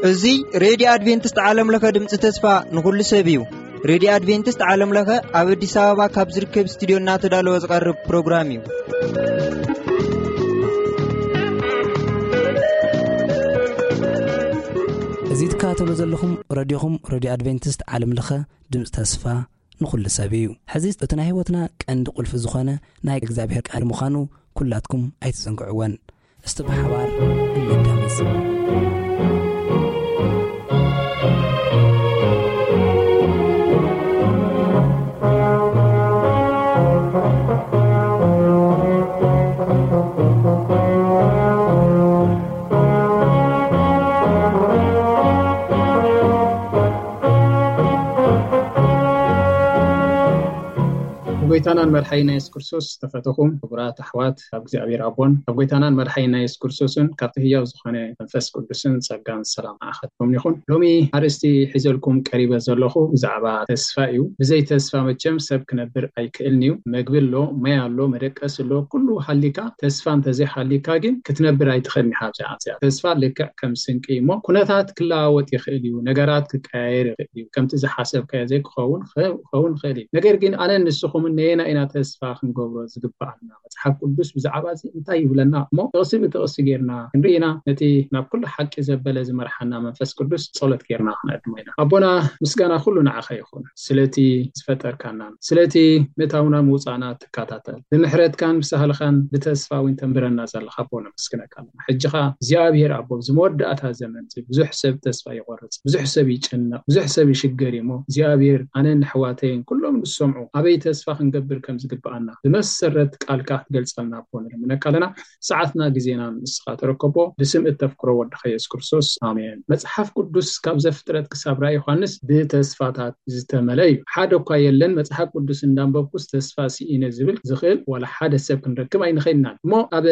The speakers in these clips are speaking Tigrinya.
እዚ ሬድዮ ኣድቬንቲስት ዓለም ለኸ ድምፂ ተስፋ ንኹሉ ሰብ እዩ። ሬድዮ ኣድቬንቲስት ዓለም ለኸ ኣብ ኣዲስ ኣበባ ካብ ዝርከብ ስቱዲዮ እናተዳለወ ዝቐርብ ፕሮግራም እዩ። እዚ ትከታተሉ ዘለኹም ሬድዮኹም ሬድዮ ኣድቬንቲስት ዓለም ለኸ ድምፂ ተስፋ ንኹሉ ሰብ እዩ። ሕዚ እቲ ናይ ህይወትና ቀንዲ ቁልፊ ዝኾነ ናይ እግዚኣብሔር ቃል ምዃኑ ኩላትኩም ኣይትዘንግዕወን። እስቲ ብሓባር እንዳመጽ። ጎይታናን መድሓይና የሱስ ክርስቶስ ዝተፈተኹም ክቡራት ኣሕዋት፣ ካብ እግዚኣብሔር ኣቦን ካብ ጎይታናን መድሓይና የሱስ ክርስቶስን ካብቲ ህያው ዝኾነ መንፈስ ቅዱስን ጸጋን ሰላም ንዓኻትኩም ይኹን። ሎሚ ኣርእስቲ ሒዘልኩም ቀሪበ ዘለኹ ብዛዕባ ተስፋ እዩ። ብዘይ ተስፋ መቸም ሰብ ክነብር ኣይክእልን እዩ። መግቢ ኣሎ፣ ማይ ኣሎ፣ መደቀሲ ኣሎ፣ ኩሉ ሃሊካ፣ ተስፋ እንተዘይሃሊካ ግን ክትነብር ኣይትኽእልን ኢኻ። ኣብዚኣ፣ ኣብዚኣ ተስፋ ልክዕ ከም ስንቂ እዩ እሞ፣ ኩነታት ክለዋወጥ ይኽእል እዩ፣ ነገራት ክቀያየር ይኽእል እዩ፣ ከምቲ ዝሓሰብካዮ ዘይክኸውን ኸ-፣ ክኸውን ይኽእል እዩ። ነገር ግን ኣነን ንስኹምን ነየና ኢና ተስፋ ክንገብሮ ዝግብኣና? መጽሓፍ ቅዱስ ብዛዕባ እዚ እንታይ ይብለና? እሞ ጥቕሲ ብጥቕሲ ጌርና ክንርኢ ኢና። ነቲ ናብ ኩሉ ሓቂ ዘበለ ዝመርሓና መንፈስ ቅዱስ ጸሎት ጌርና ክነዕድሞ ኢና። ኣቦና፣ ምስጋና ኩሉ ንዓኻ ይኹን፣ ስለቲ ዝፈጠርካናን ስለቲ ምእታውና ምውጻእና ትከታተል፣ ብምሕረትካን ብሳህልኻን ብተስፋ እውን ተንብረና ዘለኻ ኣቦ ነመስግነካ ኣለና። ሕጂ ኸኣ እግዚኣብሔር ኣቦ፣ ኣብዚ መወዳእታ ዘመን እዚ ብዙሕ ሰብ ተስፋ ይቖርጽ፣ ብዙሕ ሰብ ይጭነቕ፣ ብዙሕ ሰብ ይሽገር እዩ እሞ፣ እግዚኣብሔር ኣነን ኣሕዋተይን ኩሎም ዝሰምዑ ኣበይ ተስፋ ክንገብር ከም ዝግብኣና ብመሰረት ቃልካ ክትገልጸልና ኣቦ ንልምነካ ኣለና። ሰዓትና ግዜና ንስኻ ተረከቦ። ብስም እተፍቅሮ ወድኻ የሱስ ክርስቶስ፣ ኣሜን። መጽሓፍ ቅዱስ ካብ ዘፍጥረት ክሳብ ራእይ ዮሃንስ ብተስፋታት ዝተመለ እዩ። ሓደ እኳ የለን፣ መጽሓፍ ቅዱስ እንዳንበብኩስ ተስፋ ስኢነ ዝብል ዝኽእል ዋላ ሓደ ሰብ ክንረክብ ኣይንኽእልናን። እሞ ኣብ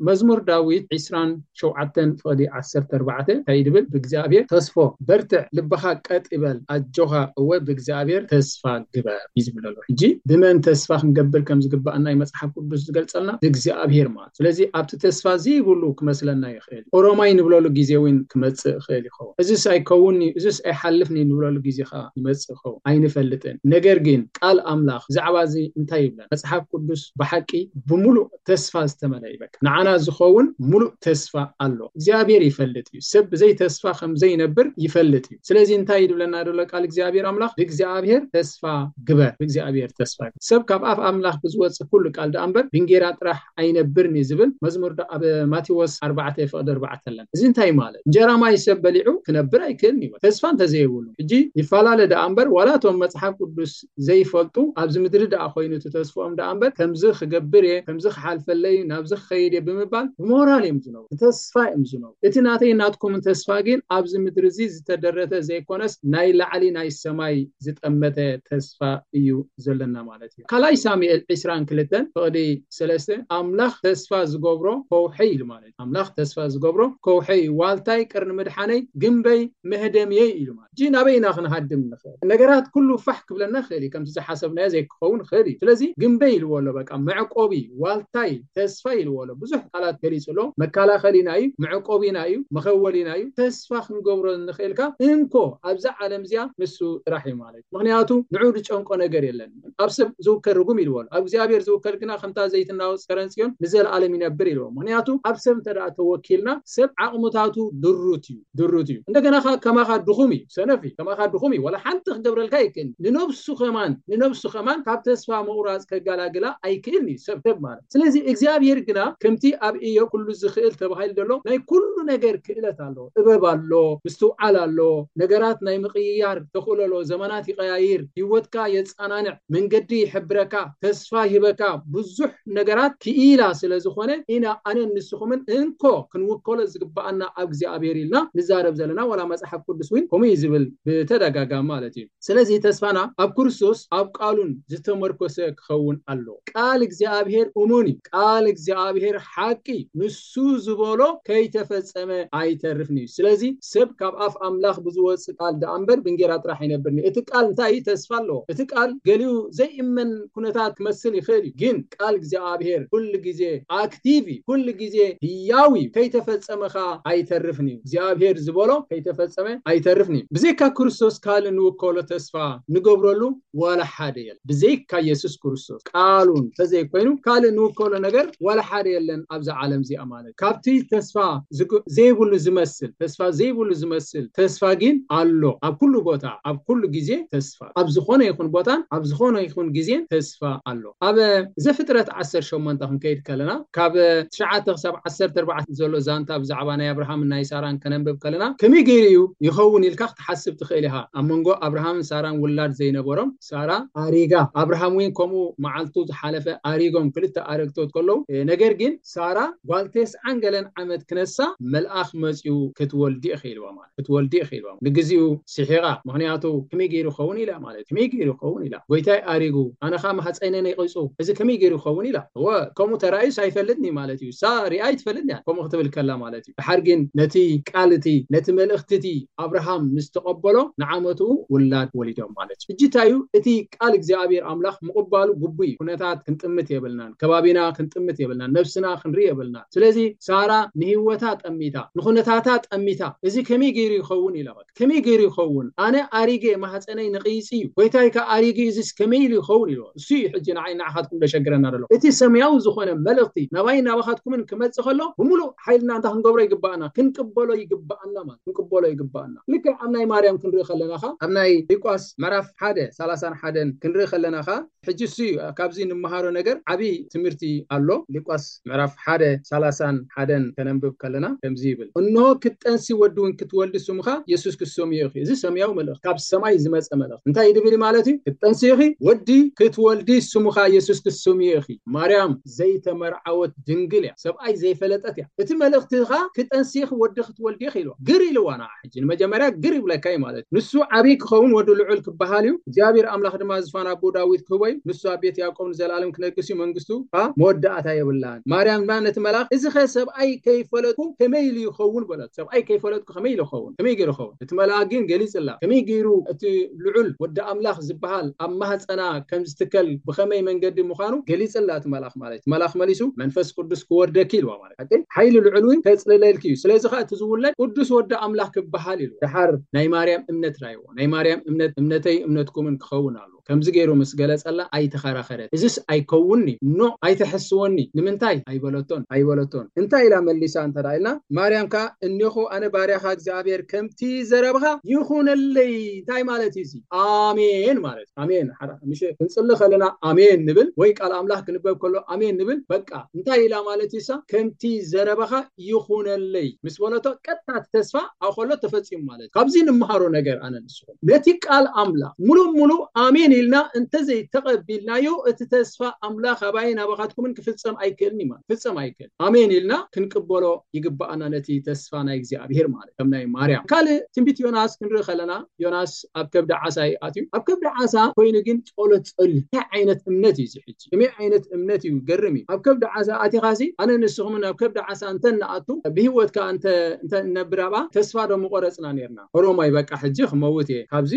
መዝሙር ዳዊት ዕስራን ሸውዓተን ፍቕዲ ዓሰርተ ኣርባዕተ እንታይ ይብል? ብእግዚኣብሔር ተስፎ በርትዕ፣ ልብኻ ቀጥ ይበል፣ ኣጆኻ፣ እወ ብእግዚኣብሔር ተስፋ ግበር እዩ ዝብል ዘሎ። ሕጂ ብመን ተስፋ ክንገብር ከም ዝግባእ ናይ መጽሓፍ ቅዱስ ዝገልጸልና? ብእግዚኣብሔር ማለት። ስለዚ ኣብቲ ተስፋ ዘይብሉ ክመስለና ይኽእል። ኦሮማይ ንብለሉ ግዜ እውን ክመጽእ ይኽእል ይኸውን። እዝስ ኣይከውን እዩ፣ እዝስ ኣይሓልፍን እዩ ንብለሉ ግዜ ኸዓ ይመጽእ ይኸውን። ኣይንፈልጥን። ነገር ግን ቃል ኣምላኽ ብዛዕባ እዚ እንታይ ይብለና? መጽሓፍ ቅዱስ ብሓቂ ብምሉእ ተስፋ ዝተመልአ እዩ። በቃ ንዓና ዝኸውን ምሉእ ተስፋ ኣሎ። እግዚኣብሔር ይፈልጥ እዩ። ሰብ ብዘይ ተስፋ ከም ዘይነብር ይፈልጥ እዩ። ስለዚ እንታይ እዩ ዝብለና ዘሎ ቃል እግዚኣብሔር ኣምላኽ? ብእግዚኣብሔር ተስፋ ግበር፣ ብእግዚኣብሔር ተስፋ ግበር። ሰብ ካብ ኣፍ ኣምላኽ ብዝወጽእ ኩሉ ቃል ደኣ እምበር ብእንጌራ ጥራሕ ኣይነብርን እዩ ዝብል መዝሙር ዶ ኣብ ማቴዎስ ኣርባዕተ ፍቕዲ ኣርባዕተ ኣለና። እዚ እንታይ ማለት? እንጀራ ማይ ሰብ በሊዑ ክነብር ኣይክእልን እዩ። ተስፋ እንተዘይብሉ። ሕጂ ይፈላለ ደኣ እምበር ዋላ እቶም መጽሓፍ ቅዱስ ዘይፈልጡ ኣብዚ ምድሪ ደኣ ኮይኑ እቲ ተስፍኦም ደኣ እምበር ከምዚ ክገብር እየ፣ ከምዚ ክሓልፈለይ፣ ናብዚ ክኸይድ እየ ብምባል ብሞራል እዮም ዝነብሩ። ብተስፋ እዮም ዝነብሩ። እቲ ናተይ ናትኩምን ተስፋ ግን ኣብዚ ምድሪ እዚ ዝተደረተ ዘይኮነስ ናይ ላዕሊ ናይ ሰማይ ዝጠመተ ተስፋ እዩ ዘለና ማለት እዩ። ካልኣይ ሳሙኤል ዕስራን ክልተን ፍቕዲ ሰለስተ ኣምላኽ ተስፋ ዝገብሮ ከውሒ ኢሉ ማለት እዩ። ኣምላኽ ተስፋ ዝገብሮ ከውሒ እዩ። ዋልታይ ቅርኒ ምድሓነይ ግንበይ መህደምየይ ኢሉ ማለት እዩ። ሕጂ ናበይ ኢና ክንሃድም ንኽእል? ነገራት ኩሉ ፋሕ ክብለና ይኽእል እዩ። ከምቲ ዝሓሰብናዮ ዘይክኸውን ይኽእል እዩ። ስለዚ ግንበይ ኢልዎ ኣሎ። በቃ መዕቆቢ፣ ዋልታይ፣ ተስፋ ኢልዎ ኣሎ። ብዙሕ ቃላት ገሊጹ ኣሎ። መከላኸሊና እዩ፣ መዕቆቢና እዩ፣ መኸወሊና እዩ። ተስፋ ክንገብሮ እንኽእል ከኣ እንኮ ኣብዛ ዓለም እዚኣ ንሱ ጥራሕ እዩ ማለት እዩ። ምኽንያቱ ንዑ ዝጨንቆ ነገር የለን። ኣብ ሰብ ዝውከል ርጉም ኢልዎ ኣሎ። ኣብ እግዚኣብሔር ዝውከል ግና ከምታ ዘይትናወጽ ከረን ጽዮን ንዘለኣለም ይነብር ኢልዎ። ምኽንያቱ ኣብ ሰብ እንተ ደኣ ተወኪልና ሰብ ዓቕምታቱ ድሩት እዩ፣ ድሩት እዩ። እንደገና ከ-፣ ከማኻ ድኹም እዩ፣ ሰነፍ እዩ። ከማኻ ድኹም እዩ። ዋላ ሓንቲ ክገብረልካ ኣይክእልን። ንነብሱ ከማን፣ ንነብሱ ከማን ካብ ተስፋ ምቑራጽ ከጋላግላ ኣይክእልን እዩ ሰብ፣ ሰብ ማለት። ስለዚ እግዚኣብሔር ግና ከምቲ ኣብ ኢዮብ ኩሉ ዝኽእል ተባሂሉ ዘሎ ናይ ኩሉ ነገር ክእለት ኣሎ፣ ጥበብ ኣሎ፣ ምስትውዓል ኣሎ፣ ነገራት ናይ ምቕይያር ተኽእሎ ኣሎ፣ ዘመናት ይቐያይር፣ ህይወትካ የጻናንዕ፣ መንገዲ ይሕብረካ፣ ተስፋ ይህበካ፣ ብዙሕ ነገራት ክኢላ ስለ ዝኾነ ኢና ኣነን ንስኹምን እንኮ ክንውከሎ ዝግብኣና ኣብ እግዚኣብሔር ኢልና ንዛረብ ዘለና። ዋላ መጽሓፍ ቅዱስ እውን ከምኡ እዩ ዝብል ብተደጋጋሚ ማለት እዩ። ስለዚ ተስፋና ኣብ ክርስቶስ ኣብ ቃሉን ዝተመርኮሰ ክኸውን ኣሎ። ቃል እግዚኣብሔር እሙን እዩ። ቃል እግዚኣብሔር ሓቂ እዩ። ንሱ ዝበሎ ከይተፈጸመ ኣይተርፍን እዩ። ስለዚ ሰብ ካብ ኣፍ ኣምላኽ ብዝወጽእ ቃል ደኣ እምበር ብእንጌራ ጥራሕ ኣይነብርን እዩ። እቲ ቃል እንታይ እዩ? ተስፋ ኣለዎ። እቲ ቃል ገሊኡ ዘይእመን ኩነታት ክመስል ይኽእል እዩ፣ ግን ቃል እግዚኣብሔር ኩሉ ግዜ ኣክቲቭ እዩ፣ ኩሉ ግዜ ህያው እዩ። ከይተፈጸመ ኸኣ ኣይተርፍን እዩ። እግዚኣብሔር ዝበሎ ከይተፈጸመ ኣይተርፍን እዩ። ብዘይካ ክርስቶስ ካልእ ንውከሎ ተስፋ ንገብረሉ ዋላ ሓደ የለን። ብዘይካ የሱስ ክርስቶስ ቃሉ እንተዘይኮይኑ ካልእ ንውከሎ ነገር ዋላ ሓደ የለን ኣብዛ ዓለም እዚኣ ማለት። ካብቲ ተስፋ ዝግ-፣ ዘይብሉ ዝመስል፣ ተስፋ ዘይብሉ ዝመስል ተስፋ ግን ኣሎ። ኣብ ኩሉ ቦታ፣ ኣብ ኩሉ ግዜ ተስፋ፣ ኣብ ዝኾነ ይኹን ቦታን ኣብ ዝኾነ ይኹን ግዜን ተስፋ ኣሎ። ኣብ ዘፍጥረት ዓሰርተ ሸሞንተ ክንከይድ ከለና፣ ካብ ትሽዓተ ክሳብ ዓሰርተ ኣርባዕተ ዘሎ ዛንታ ብዛዕባ ናይ ኣብርሃምን ናይ ሳራን ከነንብብ ከለና፣ ከመይ ገይሩ እዩ ይኸውን ኢልካ ክትሓስብ ትኽእል ኢኻ። ኣብ መንጎ ኣብርሃምን ሳራን ውላድ ዘይነበሮም፣ ሳራ ኣሪጋ፣ ኣብርሃም እውን ከምኡ መዓልቱ ዝሓለፈ ኣሪጎም፣ ክልተ ኣረግቶት ከለዉ፣ እ፣ ነገር ግን ሳራ ጓል ተስዓን ገለን ዓመት ክነሳ መልኣኽ መጺኡ ክትወልዲ ኢኺ ኢልዋ ማለት፣ ክትወልዲ ኢኺ ኢልዋ። ንግዚኡ ስሒቓ፣ ምኽንያቱ ከመይ ገይሩ ይኸውን ኢላ ማለት፣ ከመይ ገይሩ ይኸውን ኢላ። ጎይታይ ኣሪጉ፣ ኣነ ኸኣ ማህፀነ ነቂፁ፣ እዚ ከመይ ገይሩ ይኸውን ኢላ። እወ፣ ከምኡ ተራእዩስ ኣይፈልጥን እዩ ማለት እዩ። እሳ ሪኣ ኣይትፈልጥን እያ ከምኡ ክትብል ከላ ማለት እዩ። ድሓር ግን ነቲ ቃል እቲ፣ ነቲ መልእኽቲ እቲ ኣብርሃም ምስ ተቐበሎ ንዓመትኡ ውላድ ወሊዶም ማለት እዩ። ሕጂ እንታይ እዩ? እቲ ቃል እግዚኣብሔር ኣምላኽ ምቕባሉ ግቡእ እዩ። ኩነታት ክንጥምት የብልናን፣ ከባቢና ክንጥምት የብልናን፣ ነብስና ክንርኢ የብልናን። ስለዚ ሳራ ንህይወታ ጠሚታ፣ ንኹነታታ ጠሚታ፣ እዚ ከመይ ገይሩ ይኸውን ኢላ። በቃ ከመይ ገይሩ ይኸውን? ኣነ ኣሪገ፣ ማህፀነይ ነቒፁ እዩ፣ ጎይታይ ከኣ ኣሪጉ እዩ፣ እዚስ ከመይ ኢሉ ይኸውን ኢልዎ። እሱ እዩ ሕጂ ንዓይ ንዓኻትኩም ዘሸግረና ዘሎ። እቲ ሰማያዊ ዝኾነ መልእኽቲ ናባይ ናባኻትኩምን ክመጽእ ከሎ ብምሉእ ሓይልና እንታይ ክንገብሮ ይግባኣና? ክንቅበሎ ይግባኣና ማለት፣ ክንቅበሎ ይግባኣና። ልክዕ ኣብ ናይ ማርያም ክንርኢ ከለና ኸ፣ ኣብ ናይ ሉቃስ ምዕራፍ ሓደ ሰላሳን ሓደን ክንርኢ ከለና ኸ፣ ሕጂ እሱ እዩ ካብዚ እንመሃሮ ነገር ዓብዪ ትምህርቲ ኣሎ። ሉቃስ ምዕራፍ ሓደ ሰላሳን ሓደን ከነንብብ ከለና ከምዚ ይብል፣ "እንሆ ክትጠንሲ ወዲ እውን ክትወልዲ ስሙኻ የሱስ ክትሰምዮ ኢኺ።" እዚ ሰማያዊ መልእኽቲ፣ ካብ ሰማይ ዝመጸ መልእኽቲ። እንታይ ድብል ማለት እዩ? ክትጠንሲ ኢኺ፣ ወዲ ክትወልዲ ስሙኻ የሱስ ክትሰምዮ ኢኺ። ማርያም ዘይተመርዓወት ድንግል እያ፣ ሰብኣይ ዘይፈለጠት እያ። እቲ መልእኽቲ ኸኣ ክትጠንሲ ኢኺ፣ ወዲ ክትወልዲ ኢኺ ኢልዋ። ግር ኢልዋ ንዓ ሕጂ፣ ንመጀመርያ ግር ይብለካ እዩ ማለት እዩ። ንሱ ዓብዪ ክኸውን ወዲ ልዑል ክበሃል እዩ። እግዚኣብሔር ኣምላኽ ድማ ዝፋን ኣቦ ዳዊት ክህቦ እዩ። ንሱ ኣብ ቤት ያዕቆብ ንዘለኣለም ክነግስ እዩ። መንግስቱ ኸኣ መወዳእታ የብላን። ማርያም ድማ ነቲ መልኣኽ፣ "እዚ ኸ ሰብኣይ ከይፈለጥኩ ከመይ ኢሉ ይኸውን?" በለት። ሰብኣይ ከይፈለጥኩ ከመይ ኢሉ ይኸውን? ከመይ ገይሩ ይኸውን? እቲ መልኣኽ ግን ገሊጽላ። ከመይ ገይሩ እቲ ልዑል ወዲ ኣምላኽ ዝበሃል ኣብ ማህፀና ከም ዝትከል ብኸመይ መንገዲ ምዃኑ ገሊጽላ እቲ መልኣኽ ማለት እዩ። እቲ መልኣኽ መሊሱ፣ "መንፈስ ቅዱስ ክወርደኪ" ኢልዋ ማለት እዩ። ሓቂ ሓይሊ ልዑል እውን ከጽልለልኪ እዩ። ስለዚ ኸኣ እቲ ዝውለድ ቅዱስ ወዲ ኣምላኽ ክበሃል ኢሉ። ደሓር ናይ ማርያም እምነት ራይዎ። ናይ ማርያም እምነት እምነተይ እምነትኩምን ክኸውን ኣሎ። ከምዚ ገይሩ ምስ ገለጸላ ኣይተኸራኸረት። "እዚስ ኣይከውንኒ፣ ኖ ኣይተሐስወኒ፣ ንምንታይ?" ኣይበለቶን፣ ኣይበለቶን። እንታይ ኢላ መሊሳ እንተ ደኣ ኢልና፣ ማርያም ከኣ፣ "እኔኹ ኣነ ባርያኻ እግዚኣብሔር ከምቲ ዘረብኻ ይኹነለይ።" እንታይ ማለት እዩ እዚ? ኣሜን ማለት እዩ። ኣሜን። ሓራ-፣ ምሽ ክንጽሊ ከለና ኣሜን ንብል፣ ወይ ቃል ኣምላኽ ክንበብ ከሎ ኣሜን ንብል። በቃ እንታይ ኢላ ማለት እዩ እሳ? "ከምቲ ዘረባኻ ይኹነለይ" ምስ በለቶ ቀጥታ እቲ ተስፋ ኣብ ከሎ ተፈጺሙ ማለት እዩ። ካብዚ ንምሃሮ ነገር ኣነ ንስኹም ነቲ ቃል ኣምላኽ ሙሉእ ሙሉእ ኣሜን ኢልና እንተዘይተቐቢልናዮ እቲ ተስፋ ኣምላኽ ኣባይን ኣባኻትኩምን ክፍጸም ኣይክእልን እዩ ማለት፣ ክፍጸም ኣይክእልን። ኣሜን ኢልና ክንቅበሎ ይግባኣና ነቲ ተስፋ ናይ እግዚኣብሔር ማለት ከም ናይ ማርያም። ካልእ ትንቢት ዮናስ ክንርኢ ከለና ዮናስ ኣብ ከብዲ ዓሳ እዩ ኣትዩ። ኣብ ከብዲ ዓሳ ኮይኑ ግን ጸሎት ጸልዩ። እንታይ ዓይነት እምነት እዩ እዚ ሕጂ? ከመይ ዓይነት እምነት እዩ? ገርም እዩ። ኣብ ከብዲ ዓሳ ኣቲኻሲ ኣነ ንስኹምን ኣብ ከብዲ ዓሳ እንተ ንኣቱ ብህይወትካ እንተ፣ እንተ እንነብር ኣብኣ ተስፋ ዶ ምቆረጽና ነርና? ኦሮማይ በቃ ሕጂ ክመውት እየ፣ ካብዚ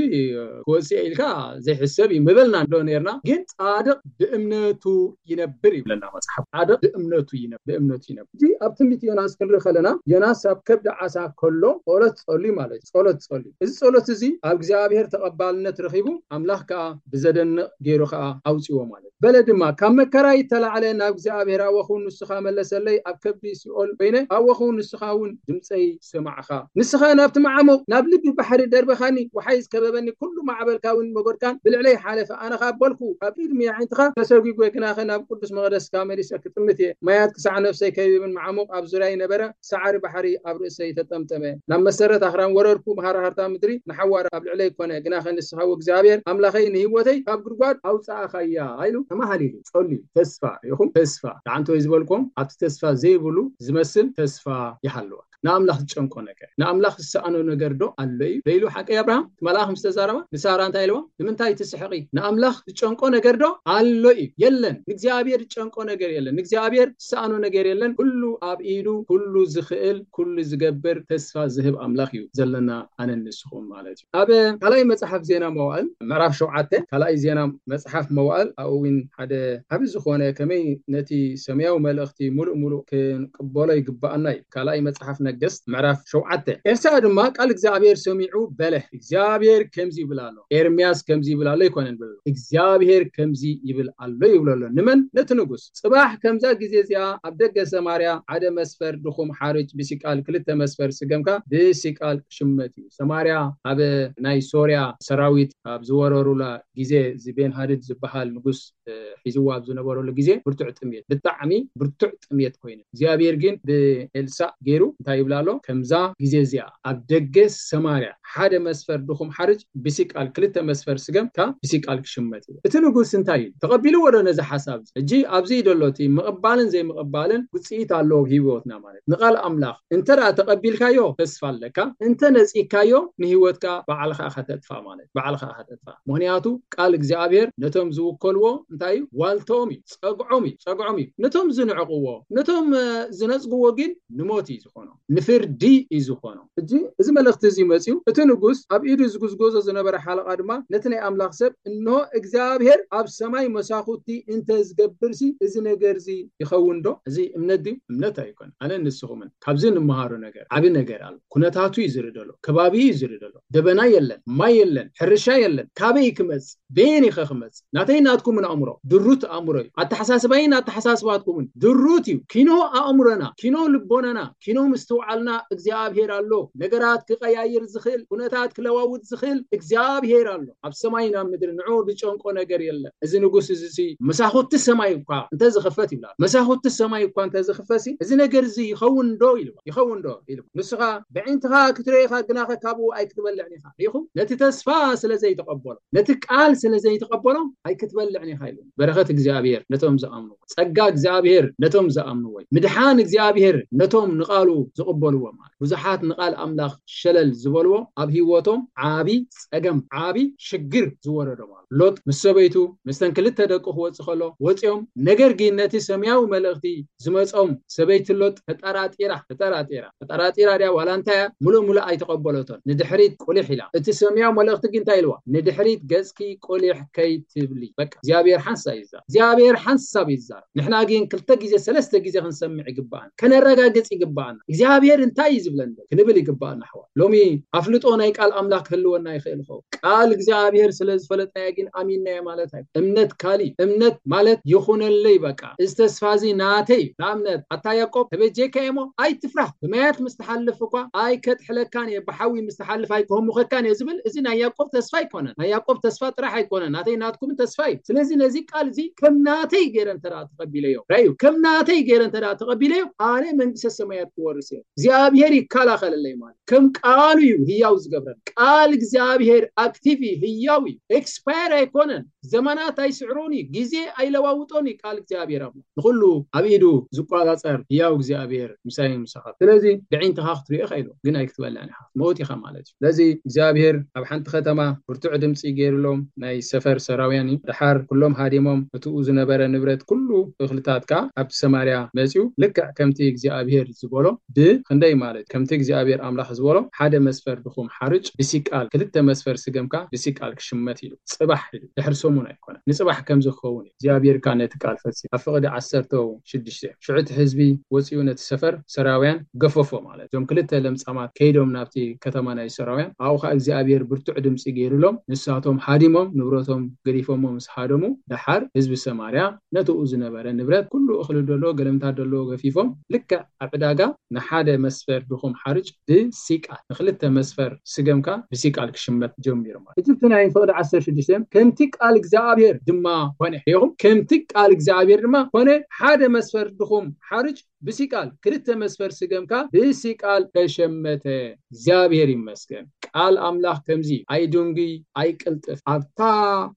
ክወጽእ እየ ኢልካ ዘይሕሰብ እዩ ምበልና ዶ ነርና? ግን ጻድቕ ብእምነቱ ይነብር ይብለና መጽሓፍ። ጻድቕ ብእምነቱ ይነብር፣ ብእምነቱ ይነብር። እዚ ኣብ ትንቢት ዮናስ ክንርኢ ከለና ዮናስ ኣብ ከብዲ ዓሳ ከሎ ጸሎት ጸልዩ ማለት እዩ። ጸሎት ጸልዩ። እዚ ጸሎት እዚ ኣብ እግዚኣብሔር ተቐባልነት ረኺቡ ኣምላኽ ከኣ ብዘደንቕ ገይሩ ከኣ ኣውጽዎ ማለት እዩ። በለ ድማ፣ "ካብ መከራይ እተላዕለ ናብ እግዚኣብሔር ኣወኹ ንስኻ መለሰለይ፣ ኣብ ከብዲ ሲኦል ኮይነ ኣወኹ ንስኻ እውን ድምፀይ ሰማዕኻ። ንስኻ ናብቲ መዓሙቕ ናብ ልቢ ባሕሪ ደርበኻኒ፣ ወሓይ ዝከበበኒ፣ ኩሉ ማዕበልካ እውን መጎድካን ብልዕለይ ሓለፈ። ኣነ ኸኣ በልኩ፣ ኣብ ቅድሚ ኣዒንትኻ ተሰጒጎ፣ ግናኸ ናብ ቅዱስ መቕደስካ መሊሰ ክጥምት እየ። ማያት ክሳዕ ነፍሰይ ከይብን መዓሙቕ ኣብ ዙርያይ ነበረ፣ ሳዕሪ ባሕሪ ኣብ ርእሰይ ተጠምጠመ። ናብ መሰረት ኣኽራን ወረድኩ፣ መሃርሃርታ ምድሪ ንሓዋር ኣብ ልዕለይ ኮነ። ግናኸ ንስኻ እግዚኣብሔር ኣምላኸይ ንህይወተይ ካብ ጉድጓድ ኣውጻእኻያ" ኢሉ ተማሃሊሉ ጸልዩ። ተስፋ ርኢኹም? ተስፋ። ደሓንቶ ዝበልኩም ኣብቲ ተስፋ ዘይብሉ ዝመስል ተስፋ ይሃልወካ። ንኣምላኽ ዝጨንቆ ነገር፣ ንኣምላኽ ዝሰኣኖ ነገር ዶ ኣሎ እዩ ኢሉ ሓቂ ኣብርሃም እቲ መልኣኽ ምስ ተዛረባ ንሳራ እንታይ ኢልዋ? ንምንታይ ትስሕቂ? ንኣምላኽ ዝጨንቆ ነገር ዶ ኣሎ እዩ? የለን። ንእግዚኣብሔር ዝጨንቆ ነገር የለን። ንእግዚኣብሔር ዝሰኣኖ ነገር የለን። ኩሉ ኣብ ኢዱ፣ ኩሉ ዝኽእል፣ ኩሉ ዝገብር፣ ተስፋ ዝህብ ኣምላኽ እዩ ዘለና ኣነን ንስኹም ማለት እዩ። ኣብ ካልኣይ መጽሓፍ ዜና መዋእል ምዕራፍ ሸውዓተ፣ ካልኣይ ዜና መጽሓፍ መዋእል ኣብኡ እውን ሓደ ዓቢ ዝኾነ ከመይ ነቲ ሰማያዊ መልእኽቲ ሙሉእ ሙሉእ ክንቅበሎ ይግብኣና እዩ። ካልኣይ መጽሓፍ ነገስት ምዕራፍ ሸውዓተ። ኤልሳዕ ድማ ቃል እግዚኣብሔር ሰሚዑ በለ፣ እግዚኣብሔር ከምዚ ይብል ኣሎ፣ ኤርምያስ ከምዚ ይብል ኣሎ ኣይኮነን ይብል ኣሎ፣ እግዚኣብሔር ከምዚ ይብል ኣሎ ይብሎ ኣሎ። ንመን? ነቲ ንጉስ። ጽባሕ ከምዛ ግዜ እዚኣ ኣብ ደገ ሰማርያ ሓደ መስፈር ድኹም ሓርጭ ብሲቃል፣ ክልተ መስፈር ስገምካ ብሲቃል ክሽመት እዩ። ሰማርያ ኣብ ናይ ሶርያ ሰራዊት ኣብ ዝወረሩላ ግዜ፣ እዚ ቤን ሃድድ ዝበሃል ንጉስ እ፣ ሒዝዋ ኣብ ዝነበረሉ ግዜ ብርቱዕ ጥሜት፣ ብጣዕሚ ብርቱዕ ጥሜት ኮይኑ፣ እግዚኣብሔር ግን ብኤልሳዕ ገይሩ እንታይ ይብላ ኣሎ? ከምዛ ግዜ እዚኣ ኣብ ደገ ሰማርያ ሓደ መስፈር ድኹም ሓርጭ ብሲቃል፣ ክልተ መስፈር ስገም ከኣ ብሲቃል ክሽመት ይብል። እቲ ንጉስ እንታይ እዩ ተቐቢልዎ ዶ ነዚ ሓሳብ እዚ? ሕጂ ኣብዚ እዩ ዘሎ እቲ ምቕባልን ዘይምቕባልን ውጽኢት ኣለዎ ኣብ ህይወትና ማለት። ንቓል ኣምላኽ እንተ ደኣ ተቐቢልካዮ ተስፋ ኣለካ፣ እንተ ነጺግካዮ ንህይወትካ ባዕልኻ ኢኻ ተጥፋእ ማለት፣ ባዕልኻ ኢኻ ተጥፋእ። ምኽንያቱ ቃል እግዚኣብሔር ነቶም ዝውከልዎ እንታይ እዩ? ዋልተኦም እዩ፣ ጸግዖም እዩ፣ ጸግዖም እዩ። ነቶም ዝንዕቕዎ፣ ነቶም፣ እ፣ ዝነጽግዎ ግን ንሞት እዩ ዝኾኖም፣ ንፍርዲ እዩ ዝኾኖም። ሕጂ እዚ መልእኽቲ እዚ መጺኡ፣ እቲ ንጉስ ኣብ ኢዱ ዝጉዝጎዞ ዝነበረ ሓለቓ ድማ ነቲ ናይ ኣምላኽ ሰብ፣ እንሆ እግዚኣብሔር ኣብ ሰማይ መሳኹቲ እንተ ዝገብርሲ እዚ ነገር እዚ ይኸውን ዶ? እዚ እምነት ድዩ? እምነት ኣይኮነን። ኣነ ንስኹምን ካብዚ እንመሃሮ ነገር ዓቢ ነገር ኣሎ። ኩነታቱ እዩ ዝርኢ ዘሎ፣ ከባቢ እዩ ዝርኢ ዘሎ። ደበና የለን፣ ማይ የለን፣ ሕርሻ የለን። ካበይ ክመጽእ? በየን ኢኸ ክመጽእ? ናተይ ናትኩምን ኣእምሮ ድሩት ኣእምሮ እዩ። ኣተሓሳስባይን ኣተሓሳስባትኩምን ድሩት እዩ። ኪኖ ኣእምሮና፣ ኪኖ ልቦናና፣ ኪኖ ምስትውዓልና እግዚኣብሔር ኣሎ። ነገራት ክቀያይር ዝኽእል፣ ኩነታት ክለዋውጥ ዝኽእል እግዚኣብሔር ኣሎ። ኣብ ሰማይን ኣብ ምድሪ ንዑ ዝጨንቆ ነገር የለን። እዚ ንጉስ እዚ ሲ መሳኹቲ ሰማይ እኳ እንተ ዝኽፈት ይብላ፣ መሳኹቲ ሰማይ እኳ እንተ ዝኽፈት ሲ እዚ ነገር እዚ ይኸውን ዶ ኢሉ፣ ይኸውን ዶ ኢሉ። ንስኻ ብዕንትኻ ክትርእዮ ኢኻ፣ ግናኸ ካብኡ ኣይክትበልዕን ኢኻ። ሪኢኹም? ነቲ ተስፋ ስለ ዘይተቐበሎ፣ ነቲ ቃል ስለ ዘይተቐበሎ ኣይክትበልዕን ኢኻ ኢሉ። በረኸት እግዚኣብሔር ነቶም ዝኣምንዎ፣ ጸጋ እግዚኣብሔር ነቶም ዝኣምንዎ፣ ምድሓን እግዚኣብሔር ነቶም ንቓሉ ዝቕበልዎ ማለት። ብዙሓት ንቓል ኣምላኽ ሸለል ዝበልዎ ኣብ ህይወቶም ዓቢ ጸገም፣ ዓቢ ሽግር ዝወረዶም ኣሎ። ሎጥ ምስ ሰበይቱ፣ ምስተን ክልተ ደቁ ክወጽእ ከሎ ወጺኦም፣ ነገር ግን ነቲ ሰማያዊ መልእኽቲ ዝመጾም ሰበይቲ ሎጥ ተጠራጢራ፣ ተጠራጢራ፣ ተጠራጢራ ድያ ዋላ እንታይ እያ? ሙሉእ ሙሉእ ኣይተቐበለቶን። ንድሕሪት ቁሊሕ ኢላ። እቲ ሰማያዊ መልእኽቲ ግን እንታይ ኢልዋ? ንድሕሪት ገጽኪ ቁሊሕ ከይትብሊ። በቃ እግዚኣብሔር ሓንሳብ ይዛረብ። እግዚኣብሔር ሓንሳብ ይዛረብ። ንሕና ግን ክልተ ግዜ ሰለስተ ግዜ ክንሰምዕ ይግባኣና። ከነረጋግጽ ይግባኣና። እግዚኣብሔር እንታይ እዩ ዝብለኒ? ክንብል ይግባኣና ኣሕዋት። ሎሚ ኣፍልጦ ናይ ቃል ኣምላኽ ክህልወና ይኽእል ይኸውን። ቃል እግዚኣብሔር ስለ ዝፈለጥናዮ ግን ኣሚንናዮ ማለት ኣይኮነን። እምነት ካሊ፣ እምነት ማለት ይኹነለይ በቃ። እዚ ተስፋ እዚ ናተይ እዩ። ንኣብነት ኣታ ያዕቆብ ተበጀካ እየ እሞ ኣይትፍራህ። ብማያት ምስ ትሓልፍ እኳ ኣይከጥሕለካን እየ፣ ብሓዊ ምስ ትሓልፍ ኣይክህሙኸካን እየ ዝብል እዚ ናይ ያዕቆብ ተስፋ ኣይኮነን። ናይ ያዕቆብ ተስፋ ጥራሕ ኣይኮነን፣ ናተይ ናትኩም ተስፋ እዩ። ስለዚ ነዚ ቃል እዚ ከም ናተይ ገይረ እንተ ደኣ ተቐቢለዮ፣ ራእዩ፣ ከም ናተይ ገይረ እንተ ደኣ ተቐቢለዮ፣ ኣነ መንግስተ ሰማያት ክወርስ እየ። እግዚኣብሔር ይከላኸለለይ ማለት ከም ቃሉ እዩ ህያው ዝገብረን። ቃል እግዚኣብሔር ኣክቲቭ እዩ፣ ህያው እዩ። ኤክስፓየር ኣይኮነን። ዘመናት ኣይስዕሮን እዩ፣ ግዜ ኣይለዋውጦን እዩ ቃል እግዚኣብሔር ኣምላኽ። ንኹሉ ኣብ ኢዱ ዝቆጻጸር ህያው እግዚኣብሔር ምሳይ ምሳኻ። ስለዚ ብዒንትኻ ክትሪኦ ኢኻ ኢሉ፣ ግን ኣይክትበልዕን ኢኻ፣ ትመውት ኢኻ ማለት እዩ። ስለዚ እግዚኣብሔር ኣብ ሓንቲ ከተማ ብርቱዕ ድምፂ ገይሩሎም ናይ ሰፈር ሰራውያን እዩ። ደሓር ኩሎም ሃዲሞም፣ እትኡ ዝነበረ ንብረት ኩሉ እኽልታት ከኣ ኣብቲ ሰማርያ መፂኡ፣ ልክዕ ከምቲ እግዚኣብሔር ዝበሎ ብኽንደይ ማለት ከምቲ እግዚኣብሔር ኣምላኽ ዝበሎ ሓደ መስፈር ድኹም ሓርጭ ብሲቃል፣ ክልተ መስፈር ስገምካ ብሲቃል ክሽመት ኢሉ። ጽባሕ ኢሉ፣ ድሕሪ ሰሙን ኣይኮነን፣ ንጽባሕ ከምዚ ክኸውን እዩ። እግዚኣብሔር ከኣ ነቲ ቃል ፈጺሙ። ኣብ ፍቕዲ ዓሰርተ ሽዱሽተ ሽዑ እቲ ህዝቢ ወጺኡ ነቲ ሰፈር ሰራውያን ገፈፎ ማለት። እዞም ክልተ ለምጻማት ከይዶም ናብቲ ከተማ ናይ ሰራውያን፣ ኣብኡ ከኣ እግዚኣብሔር ብርቱዕ ድምጺ ገይሩሎም፣ ንሳቶም ሃዲሞም፣ ንብረቶም ገዲፎሞ ምስ ሃደሙ፣ ደሓር ህዝቢ ሰማርያ ነትኡ ዝነበረ ንብረት፣ ኩሉ እኽሊ ደሎ፣ ገለምታት ደሎ ገፊፎም፣ ልክዕ ኣብ ዕዳጋ ንሓደ መስፈር ድኹም ሓርጭ ብሲቃል፣ ንኽልተ መስፈር ስገምካ ብሲቃል ክሽመት ጀሚሩ ማለት። እቲ ናይ ፍቕዲ ዓሰርተ ሽዱሽተ፣ ከምቲ ቃል እግዚኣብሔር ድማ ኮነ። ሪኢኹም? ከምቲ ቃል እግዚኣብሔር ድማ ኮነ፣ ሓደ መስፈር ድኹም ሓርጭ ብሲቃል፣ ክልተ መስፈር ስገምካ ብሲቃል ተሸመተ። እግዚኣብሔር ይመስገን። ቃል ኣምላኽ ከምዚ እዩ። ኣይድንጉይ ኣይቅልጥፍ፣ ኣብታ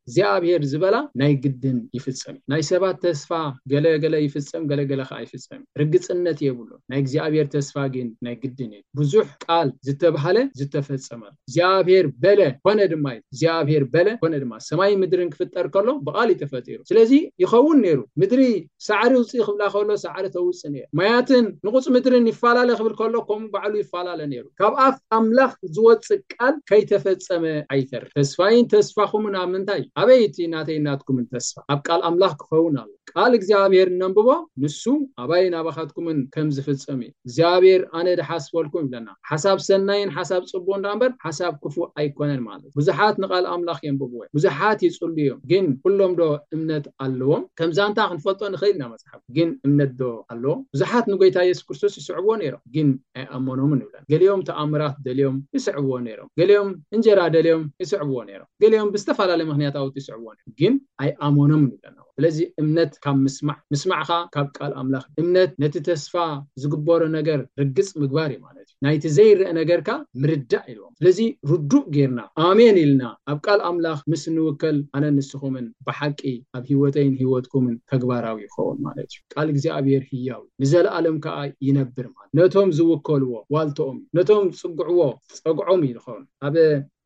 እግዚኣብሔር ዝበላ ናይ ግድን ይፍጸም እዩ። ናይ ሰባት ተስፋ ገለ ገለ ይፍጸም፣ ገለ ገለ ከኣ ኣይፍጸም። ርግጽነት የብሉን። ናይ እግዚኣብሔር ተስፋ ግን ናይ ግድን እዩ። ብዙሕ ቃል ዝተባህለ ዝተፈጸመ እግዚኣብሔር በለ ኮነ ድማ እዩ። እግዚኣብሔር በለ ኮነ ድማ። ሰማይ ምድርን ክፍጠር ከሎ ብቓል እዩ ተፈጢሩ። ስለዚ ይኸውን ነይሩ። ምድሪ ሳዕሪ ውፅኢ ክብላ ከሎ ሳዕሪ ተውፅእ ነይሩ። ማያትን ንቑፅ ምድርን ይፈላለ ክብል ከሎ ከምኡ ባዕሉ ይፈላለ ነይሩ። ካብ ኣፍ ኣምላኽ ዝወፅእ ቃል ከይተፈጸመ ኣይተርፍ። ተስፋይን ተስፋኹምን ኣብ ምንታይ? ኣበይ እቲ ናተይ ናትኩምን ተስፋ? ኣብ ቃል ኣምላኽ ክኸውን ኣሎ። ቃል እግዚኣብሔር እነንብቦ ንሱ ኣባይን ኣባኻትኩምን ከም ዝፍጸም እዩ። እግዚኣብሔር ኣነ ድሓስበልኩም ይብለና። ሓሳብ ሰናይን ሓሳብ ጽቡቕ እንዳ እምበር ሓሳብ ክፉእ ኣይኮነን ማለት። ብዙሓት ንቓል ኣምላኽ የንብብዎ እዮም። ብዙሓት ይጽሉ እዮም። ግን ኩሎም ዶ እምነት ኣለዎም? ከምዛ እንታ ክንፈልጦ ንኽእል ኢና መጽሓፍ። ግን እምነት ዶ ኣለዎም? ብዙሓት ንጎይታ የሱስ ክርስቶስ ይስዕብዎ ነይሮም። ግን ኣይኣመኖምን ይብለና። ገሊኦም ተኣምራት ደልዮም ይስዕብዎ ነይሮም። ገሊኦም እንጀራ ደልዮም ይስዕብዎ ነይሮም። ገሊኦም ብዝተፈላለየ ምኽንያታውት ይስዕብዎ ነይሮም። ግን ኣይኣመኖምን ይብለና። ስለዚ እምነት ካብ ምስማዕ፣ ምስማዕኻ ካብ ቃል ኣምላኽ። እምነት ነቲ ተስፋ ዝግበሮ ነገር ርግጽ ምግባር እዩ ማለት እዩ። ናይቲ ዘይረአ ነገርካ ምርዳእ ኢልዎም። ስለዚ ርዱእ ጌርና ኣሜን ኢልና ኣብ ቃል ኣምላኽ ምስ ንውከል ኣነ ንስኹምን ብሓቂ ኣብ ህይወተይን ህይወትኩምን ተግባራዊ ይኸውን ማለት እዩ። ቃል እግዚኣብሔር ህያው እዩ፣ ንዘለኣለም ከኣ ይነብር ማለት። ነቶም ዝውከልዎ ዋልተኦም እዩ፣ ነቶም ዝጽግዕዎ ጸግዖም እዩ ዝኸውን። ኣብ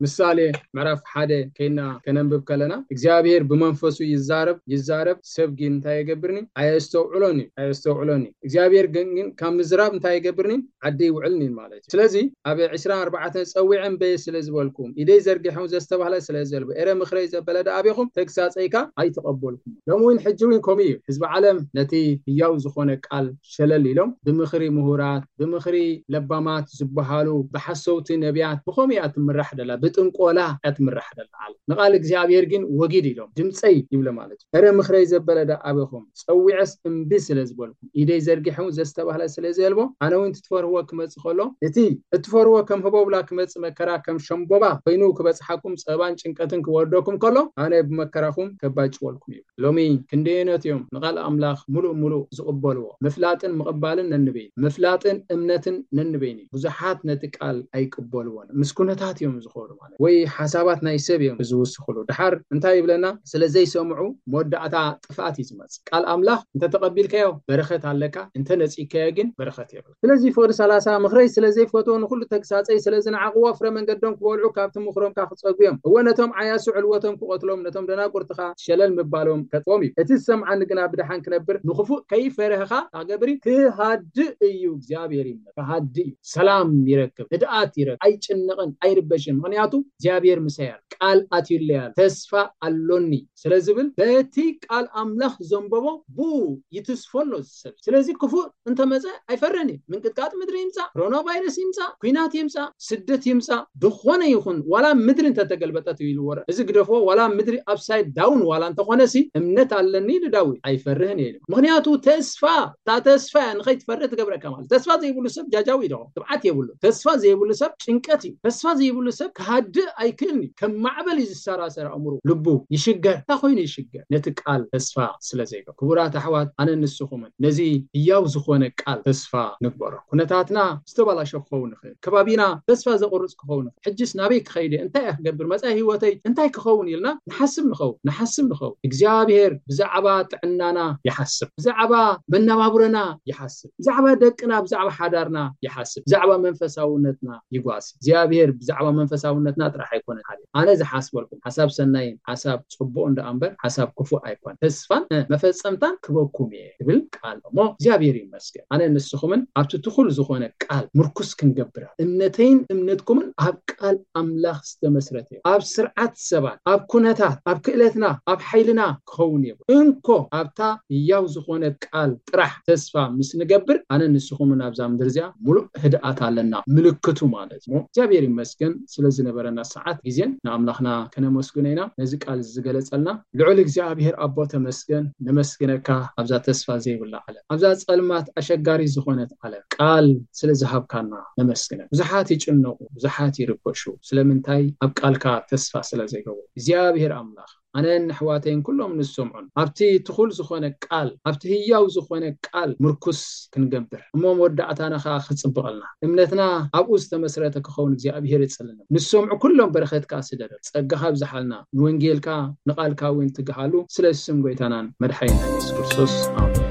ምሳሌ ምዕራፍ ሓደ ከይና ከነንብብ ከለና እግዚኣብሔር ብመንፈሱ ይዛረብ ይዛረብ፣ ሰብ ግን እንታይ የገብርኒ? ኣየስተውዕሎን እዩ ኣየስተውዕሎን እዩ። እግዚኣብሔር ግን ግን ካብ ምዝራብ እንታይ የገብርኒ? ዓዲ ይውዕልኒ ማለት እዩ። ስለዚ ኣብ ዕስራን ኣርባዕተን ጸዊዐ እምበየ ስለ ዝበልኩም፣ ኢደይ ዘርጊሐ እውን ዘስተባህለ ስለ ዘልቦ፣ ኤረ ምኽረይ ዘበለ ደኣ ኣቤኹም፣ ተግሳጸይካ ኣይተቐበልኩም። ሎሚ እውን ሕጂ እውን ከምኡ እዩ። ህዝቢ ዓለም ነቲ ህያው ዝኾነ ቃል ሸለል ኢሎም ብምኽሪ ምሁራት፣ ብምኽሪ ለባማት ዝበሃሉ ብሓሰውቲ ነቢያት ብኸምኡ እያ ትምራሕ ደላ፣ ብጥንቆላ እያ ትምራሕ ደላ ዓለም። ንቓል እግዚኣብሔር ግን ወጊድ ኢሎም ድምፀይ ይብለ ማለት እዩ። እረ ምኽረይ ዘበለ ዳ ኣበኹም ጸዊዐስ እምቢ ስለ ዝበልኩም፣ ኢደይ ዘርጊሐ እውን ዘስተባህለ ስለ ዘልቦ፣ ኣነ እውን ትትፈርህዎ ክመጽእ ከሎ፣ እቲ እትፈርህዎ ከም ህቦብላ ክመጽእ መከራ ከም ሸምቦባ ኮይኑ ክበጽሓኩም፣ ጸባን ጭንቀትን ክወርደኩም ከሎ፣ ኣነ ብመከራኹም ከባጭወልኩም እዩ። ሎሚ ክንደየኖት እዮም ንቓል ኣምላኽ ምሉእ ምሉእ ዝቕበልዎ? ምፍላጥን ምቕባልን ነንበይኑ፣ ምፍላጥን እምነትን ነንበይኑ። ብዙሓት ነቲ ቃል ኣይቅበልዎን። ምስ ኩነታት እዮም ዝኸዱ ማለት፣ ወይ ሓሳባት ናይ ሰብ እዮም ዝውስኽሉ። ድሓር እንታይ ይብለና? ስለ ዘይሰምዑ መወዳእታ ጥፍኣት እዩ ዝመጽእ። ቃል ኣምላኽ እንተ ተቐቢልካዮ በረኸት ኣለካ፣ እንተ ነጺግካዮ ግን በረኸት የብልካ። ስለዚ ፍቕዲ ሰላሳ፣ ምኽረይ ስለ ዘይፈትዎ፣ ንኹሉ ተግሳጸይ ስለ ዝነዓቕዎ፣ ፍረ መንገዶም ክበልዑ፣ ካብቲ ምኽሮም ከኣ ክጸግቡ እዮም። እወ፣ ነቶም ዓያሱ ዕልወቶም ክቐትሎም፣ ነቶም ደናቁርትኻ ሸለል ምባሎም ከጥፍኦም እዩ። እቲ ዝሰምዓኒ ግና ብደሓን ክነብር፣ ንኽፉእ ከይፈርህኻ ክገብር እዩ። ክሃድእ እዩ፣ እግዚኣብሔር ይመስገን። ክሃድእ እዩ። ሰላም ይረክብ፣ ህድኣት ይረክብ። ኣይጭነቕን፣ ኣይርበሽን። ምኽንያቱ እግዚኣብሔር ምሳይ ኣሎ። ቃል ኣትዩለይ ኣሎ። ተስፋ ኣሎኒ ስለ ዝብል፣ በቲ ቃል ኣምላኽ ዘንበቦ ብኡ ይትስፎ ኣሎ እዚ ሰብ። ስለዚ ክፉእ እንተመጸ ኣይፈርህን እዩ። ምንቅጥቃጥ ምድሪ ይምጻእ፣ ኮሮና ቫይረስ ይምጻእ፣ ኲናት ይምጻእ፣ ስደት ይምጻእ፣ ዝኾነ ይኹን፣ ዋላ ምድሪ እንተተገልበጠት እዩ ኢሉ ወረ-፣ እዚ ግደፎ፣ ዋላ ምድሪ ኣፕሳይድ ዳውን ዋላ እንተኾነ ሲ፣ እምነት ኣለኒ ኢሉ ዳዊት፣ ኣይፈርህን እየ ኢሉ። ምኽንያቱ ተስፋ፣ እታ ተስፋ እያ ንኸይትፈርህ ትገብረካ ማለት። ተስፋ ዘይብሉ ሰብ ጃጃው እዩ ደኾ፣ ትብዓት የብሉ። ተስፋ ዘይብሉ ሰብ ጭንቀት እዩ። ተስፋ ዘይብሉ ሰብ ክሃድእ ኣይክእልን እዩ። ከም ማዕበል እዩ ዝሰራሰር ኣእምሮ፣ ልቡ ይሽገር። እንታይ ኮይኑ ይሽገር? ነቲ ቃል ተስፋ ስለ ዘይገብር። ክቡራት ኣሕዋት፣ ኣነ ንስኹምን ነዚ ህያው ዝኾነ ቃል ተስፋ ንግበሮ። ኩነታትና ዝተባላሸ ክኸውን ይኽእል። ከባቢና ተስፋ ዘቑርጽ ክኸውን ይኽእል። ሕጅስ ናበይ ክኸይድ እየ? እንታይ እየ ክገብር? መጻኢ ህይወተይ እንታይ ክኸውን? ኢልና ንሓስብ ንኸውን፣ ንሓስብ ንኸውን። እግዚኣብሔር ብዛዕባ ጥዕናና ይሓስብ፣ ብዛዕባ መነባብሮና ይሓስብ፣ ብዛዕባ ደቅና፣ ብዛዕባ ሓዳርና ይሓስብ፣ ብዛዕባ መንፈሳውነትና ይጓስ። እግዚኣብሔር ብዛዕባ መንፈሳውነትና ጥራሕ ኣይኮነን ሓልዩ። ኣነ ዝሓስበልኩም ሓሳብ ሰናይን ሓሳብ ጽቡቕ እንዳ እምበር ሓሳብ ክፉእ ኣይኮን። ተስፋን፣ እ፣ መፈጸምታን ክበኩም እየ ትብል ቃል እሞ እግዚኣብሔር ይመስገን። ኣነ ንስኹምን ኣብቲ ትኹል ዝኾነ ቃል ምርኩስ ክንገብር፣ እምነተይን እምነትኩምን ኣብ ቃል ኣምላኽ ዝተመስረተ እዩ። ኣብ ስርዓት ሰባት፣ ኣብ ኩነታት፣ ኣብ ክእለትና፣ ኣብ ሓይልና ክኸውን የብሉ። እንኮ ኣብታ ህያው ዝኾነት ቃል ጥራሕ ተስፋ ምስ ንገብር፣ ኣነ ንስኹምን ኣብዛ ምድሪ እዚኣ ሙሉእ ህድኣት ኣለና። ምልክቱ ማለት እሞ እግዚኣብሔር ይመስገን ስለ ዝነበረና ሰዓት ግዜን ንኣምላኽና ከነመስግኖ ኢና። ነዚ ቃል ዝገለጸልና ልዑል እግዚኣብሔር ኣቦ ተመስገን፣ ነመስግነካ። ኣብዛ ተስፋ ዘይብላ ዓለም፣ ኣብዛ ጸልማት ኣሸጋሪ ዝኾነት ዓለም ቃል ስለ ዝሃብካና ነመስግነካ። ብዙሓት ይጭነቑ፣ ብዙሓት ይርበሹ። ስለምንታይ? ኣብ ቃልካ ተስፋ ስለ ዘይገብሩ። እግዚኣብሔር ኣምላኽ ኣነን ኣሕዋተይን ኩሎም ንሰምዑን ኣብቲ ትኹል ዝኾነ ቃል፣ ኣብቲ ህያው ዝኾነ ቃል ምርኩስ ክንገብር እሞ መወዳእታና ከዓ ክፅብቐልና፣ እምነትና ኣብኡ ዝተመስረተ ክኸውን እግዚኣብሔር ይፅልንም። ንሰምዑ ኩሎም በረኸትካ ስደደሉ፣ ጸጋኻ ኣብዝሓልና፣ ንወንጌልካ ንቓልካ እውን ትግሃሉ፣ ስለ ስም ጎይታናን መድሓኒና የሱስ ክርስቶስ፣ ኣሜን።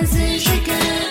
እዚ ሽግር